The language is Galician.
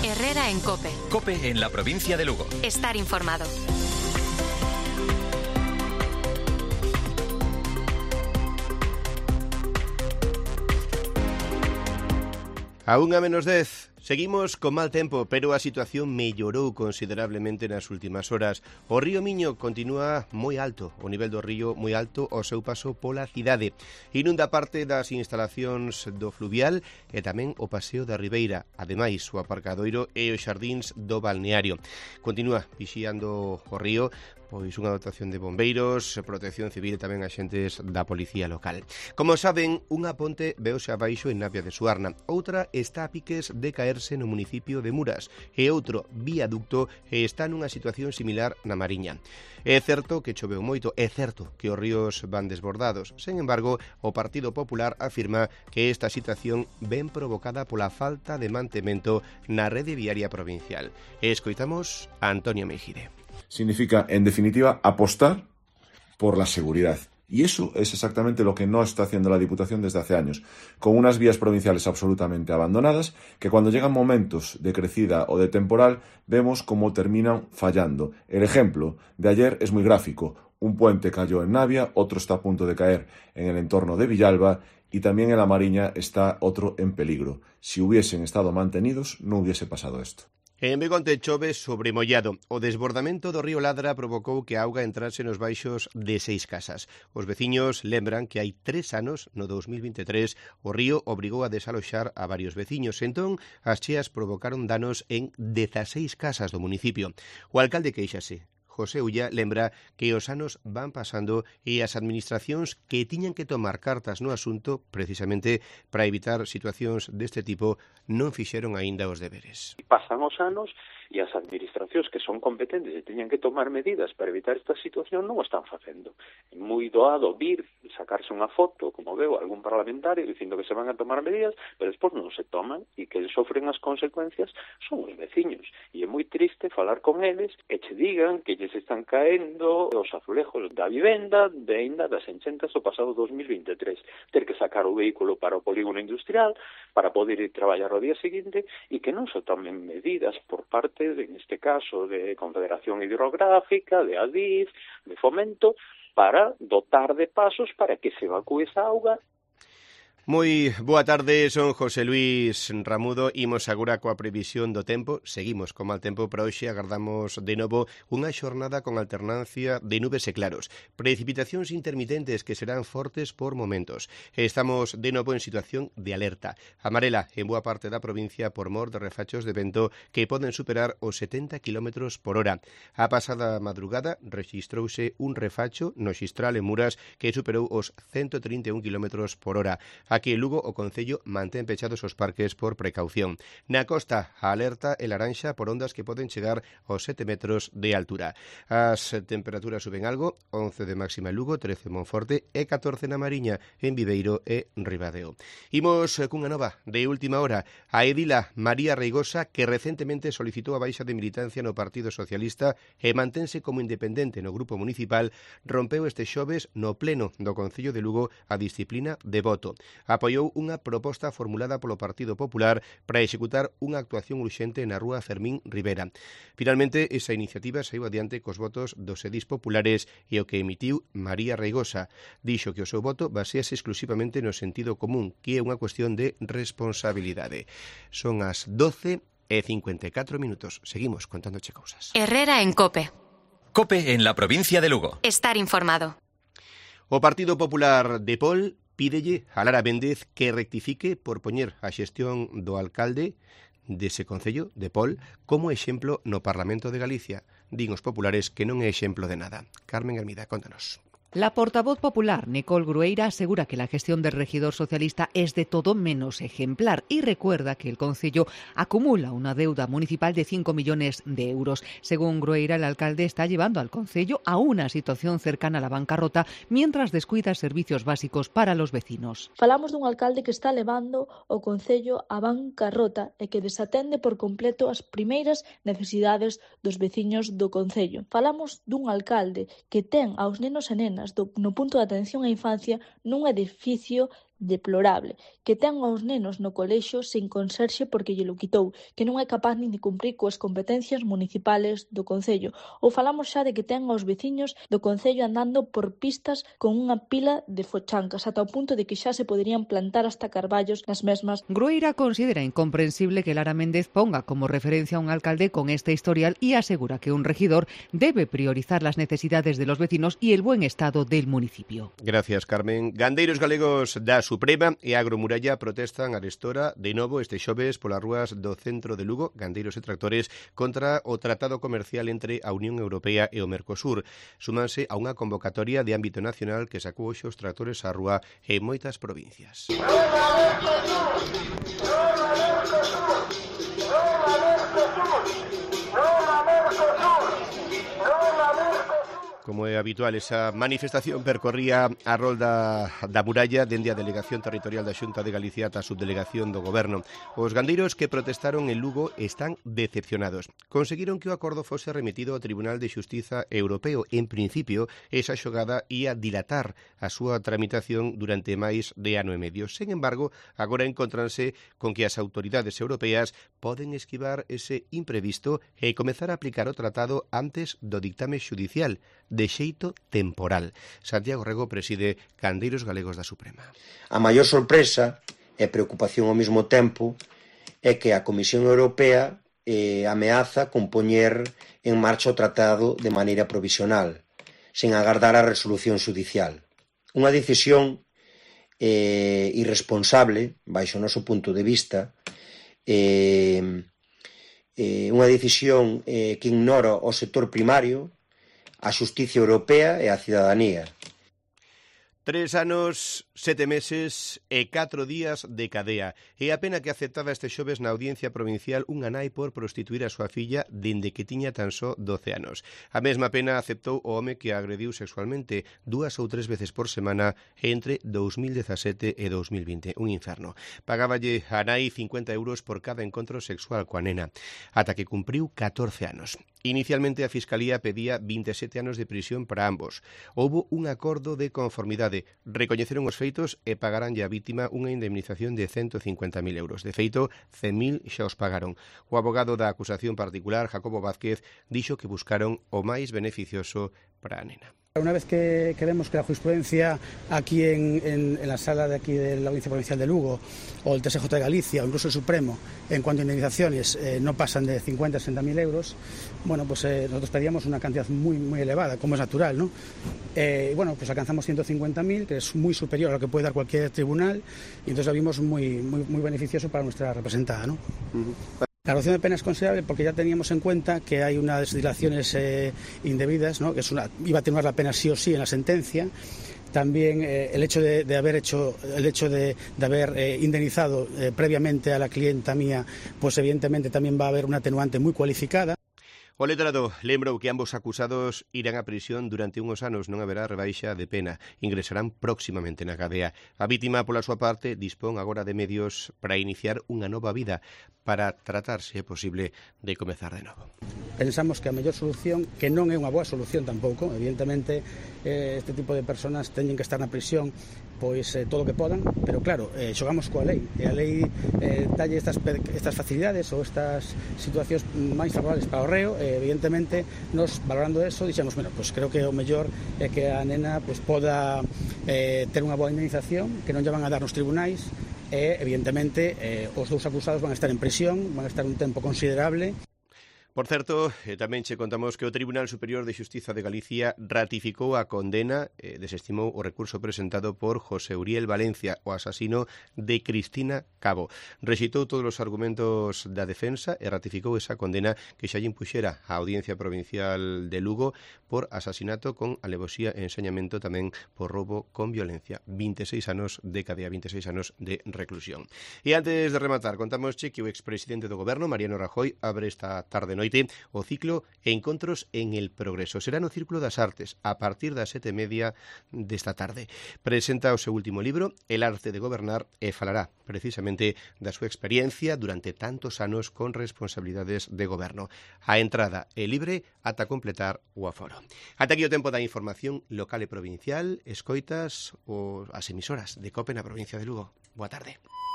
Herrera en COPE. COPE en la provincia de Lugo. Estar informado. A 1:10. Seguimos con mal tempo, pero a situación mellorou considerablemente nas últimas horas. O río Miño continúa moi alto, o nivel do río moi alto ao seu paso pola cidade. Inunda parte das instalacións do fluvial e tamén o paseo da Ribeira, ademais o aparcadoiro e os xardíns do balneario. Continúa vixiando o río pois unha dotación de bombeiros, protección civil e tamén axentes da policía local. Como saben, unha ponte veose abaixo en Navia de Suarna, outra está a piques de caerse no municipio de Muras e outro viaducto está nunha situación similar na Mariña. É certo que choveu moito, é certo que os ríos van desbordados. Sen embargo, o Partido Popular afirma que esta situación ven provocada pola falta de mantemento na rede viaria provincial. E escoitamos a Antonio Mejide. Significa, en definitiva, apostar por la seguridad. Y eso es exactamente lo que no está haciendo la Diputación desde hace años, con unas vías provinciales absolutamente abandonadas, que cuando llegan momentos de crecida o de temporal, vemos cómo terminan fallando. El ejemplo de ayer es muy gráfico. Un puente cayó en Navia, otro está a punto de caer en el entorno de Villalba, y también en la Mariña está otro en peligro. Si hubiesen estado mantenidos, no hubiese pasado esto. En Begonte chove sobremollado. O desbordamento do río Ladra provocou que a auga entrase nos baixos de 6 casas. Os veciños lembran que hai 3 anos, no 2023, o río obrigou a desaloxar a varios veciños. Entón, as cheas provocaron danos en 16 casas do municipio. O alcalde queixase. José Ulla lembra que os anos van pasando e as administracións que tiñan que tomar cartas no asunto precisamente para evitar situacións deste tipo non fixeron aínda os deberes. Pasan os anos e as administracións que son competentes e teñan que tomar medidas para evitar esta situación non o están facendo. É moi doado vir, sacarse unha foto, como veo algún parlamentario dicindo que se van a tomar medidas, pero despois non se toman e que sofren as consecuencias son os veciños. E é moi triste falar con eles e che digan que lles están caendo os azulejos da vivenda de ainda das enchentas do pasado 2023. Ter que sacar o vehículo para o polígono industrial para poder ir traballar o día seguinte e que non se tomen medidas por parte, en este caso, de Confederación Hidrográfica, de Adif, de Fomento, para dotar de pasos para que se evacúe esa auga. Moi boa tarde, son José Luis Ramudo, imos agora coa previsión do tempo. Seguimos con mal tempo para hoxe, agardamos de novo unha xornada con alternancia de nubes e claros. Precipitacións intermitentes que serán fortes por momentos. Estamos de novo en situación de alerta amarela en boa parte da provincia por mor de refachos de vento que poden superar os 70 km por hora. A pasada madrugada rexistrouse un refacho no Xistral en Muras que superou os 131 km por hora. Aquí en Lugo o Concello mantén pechados os parques por precaución. Na costa, a alerta é laranxa por ondas que poden chegar aos 7 metros de altura. As temperaturas suben algo, 11 de máxima en Lugo, 13 en Monforte e 14 na Mariña, en Viveiro e Ribadeo. Imos cunha nova de última hora. A edila María Reigosa, que recentemente solicitou a baixa de militancia no Partido Socialista e mantense como independente no grupo municipal, rompeu este xoves no pleno do Concello de Lugo a disciplina de voto. Apoiou unha proposta formulada polo Partido Popular para executar unha actuación urxente na rúa Fermín Rivera. Finalmente, esa iniciativa saiu adiante cos votos dos edís populares e o que emitiu María Reigosa. Dixo que o seu voto basease exclusivamente no sentido común, que é unha cuestión de responsabilidade. Son as 12:54 minutos. Seguimos contándoche cousas. Herrera en COPE. COPE en la provincia de Lugo. Estar informado. O Partido Popular de Pol pídelle a Lara Méndez que rectifique por poñer a xestión do alcalde dese Concello de Pol como exemplo no Parlamento de Galicia. Din os populares que non é exemplo de nada. Carmen Hermida, contanos. La portavoz popular, Nicole Grueira, asegura que la gestión del regidor socialista es de todo menos ejemplar y recuerda que el concello acumula una deuda municipal de 5 millones de euros. Según Grueira, el alcalde está llevando al concello a una situación cercana a la bancarrota mientras descuida servicios básicos para los vecinos. Falamos dun alcalde que está levando o concello á bancarrota e que desatende por completo as primeiras necesidades dos veciños do concello. Falamos dun alcalde que ten aos nenos e nenas no punto de atención á infancia nun edificio deplorable, que ten aos nenos no colexio sen conserxe porque lle lo quitou, que non é capaz nin de cumprir coas competencias municipales do concello. Ou falamos xa de que ten aos veciños do concello andando por pistas con unha pila de fochancas, ata o punto de que xa se poderían plantar hasta carballos nas mesmas. Grueira considera incomprensible que Lara Méndez ponga como referencia a un alcalde con este historial y asegura que un regidor debe priorizar las necesidades de los vecinos y el buen estado del municipio. Gracias, Carmen. Gandeiros galegos da Suprema e Agromuralla protestan arestora de novo este xoves polas rúas do centro de Lugo, gandeiros e tractores, contra o tratado comercial entre a Unión Europea e o Mercosur. Súmanse a unha convocatoria de ámbito nacional que sacou hoxe os tractores á rúa en moitas provincias. Como é habitual, esa manifestación percorría a rolda da muralla dende a Delegación Territorial da Xunta de Galicia ata a Subdelegación do Goberno. Os gandeiros que protestaron en Lugo están decepcionados. Conseguiron que o acordo fose remitido ao Tribunal de Xustiza Europeo. En principio, esa xogada ia dilatar a súa tramitación durante máis de ano e medio. Sen embargo, agora encontranse con que as autoridades europeas poden esquivar ese imprevisto e comezar a aplicar o tratado antes do dictame xudicial, de xeito temporal. Santiago Rego preside Gandeiros Galegos da Suprema. A maior sorpresa e preocupación ao mesmo tempo é que a Comisión Europea ameaza con poñer en marcha o tratado de maneira provisional, sen agardar a resolución xudicial. Unha decisión irresponsable, baixo o noso punto de vista, unha decisión que ignora o sector primario, a xustiza europea e a cidadanía. 3 anos, 7 meses e 4 días de cadea. É a pena que aceptaba este xoves na Audiencia Provincial unha nai por prostituir a súa filla dende que tiña tan só 12 anos. A mesma pena aceptou o home que a agrediu sexualmente 2 ou 3 veces por semana entre 2017 e 2020. Un inferno. Pagáballe a nai 50 euros por cada encontro sexual coa nena, ata que cumpriu 14 anos. Inicialmente a Fiscalía pedía 27 anos de prisión para ambos. Houbo un acordo de conformidade. Recoñeceron os feitos e pagaranlle á vítima unha indemnización de 150.000 euros. De feito, 100.000 xa os pagaron. O abogado da acusación particular, Jacobo Vázquez, dixo que buscaron o máis beneficioso para a nena. Una vez que vemos que la jurisprudencia aquí en la sala de aquí de la Audiencia Provincial de Lugo o el TSJ de Galicia o incluso el Supremo en cuanto a indemnizaciones no pasan de 50 a 60.000 euros, bueno, pues nosotros pedíamos una cantidad muy elevada, como es natural, ¿no? Bueno, pues alcanzamos 150.000, que es muy superior a lo que puede dar cualquier tribunal, y entonces lo vimos muy beneficioso para nuestra representada, ¿no? La reducción de pena es considerable porque ya teníamos en cuenta que hay unas dilaciones indebidas, ¿no? Que iba a atenuar la pena sí o sí en la sentencia. También el hecho de haber indemnizado previamente a la clienta mía, pues evidentemente también va a haber una atenuante muy cualificada. O letrado lembrou que ambos acusados irán a prisión durante unhos anos, non haberá rebaixa de pena. Ingresarán próximamente na cadea. A vítima, pola súa parte, dispón agora de medios para iniciar unha nova vida, para tratar, se é posible, de comezar de novo. Pensamos que a mellor solución, que non é unha boa solución tampouco, evidentemente este tipo de persoas teñen que estar na prisión pois todo o que podan, pero claro, xogamos coa lei, e a lei dalle estas facilidades ou estas situacións máis favorables para o reo, evidentemente, nos valorando eso, dixemos, bueno, pues creo que o mellor é que a nena pues poda ter unha boa indemnización, que non lle van a dar nos tribunais, e evidentemente os dous acusados van a estar en prisión, van a estar un tempo considerable. Por certo, tamén che contamos que o Tribunal Superior de Xustiza de Galicia ratificou a condena, desestimou o recurso presentado por José Uriel Valencia, o asasino de Cristina Cabo. Rexeitou todos os argumentos da defensa e ratificou esa condena que xa lle impuxera a Audiencia Provincial de Lugo por asasinato con alevosía e ensañamento, tamén por roubo con violencia. 26 anos de cadea, 26 anos de reclusión. E antes de rematar, contamos que o expresidente do Goberno, Mariano Rajoy, abre esta tarde-noite noite o ciclo Encontros en el Progreso. Será no Círculo das Artes a partir das 7:30 desta tarde. Presenta o seu último libro, El arte de gobernar, e falará precisamente da súa experiencia durante tantos anos con responsabilidades de goberno. A entrada é libre ata completar o aforo. Ata aquí o tempo da información local e provincial. Escoitas as emisoras de COPE na provincia de Lugo. Boa tarde.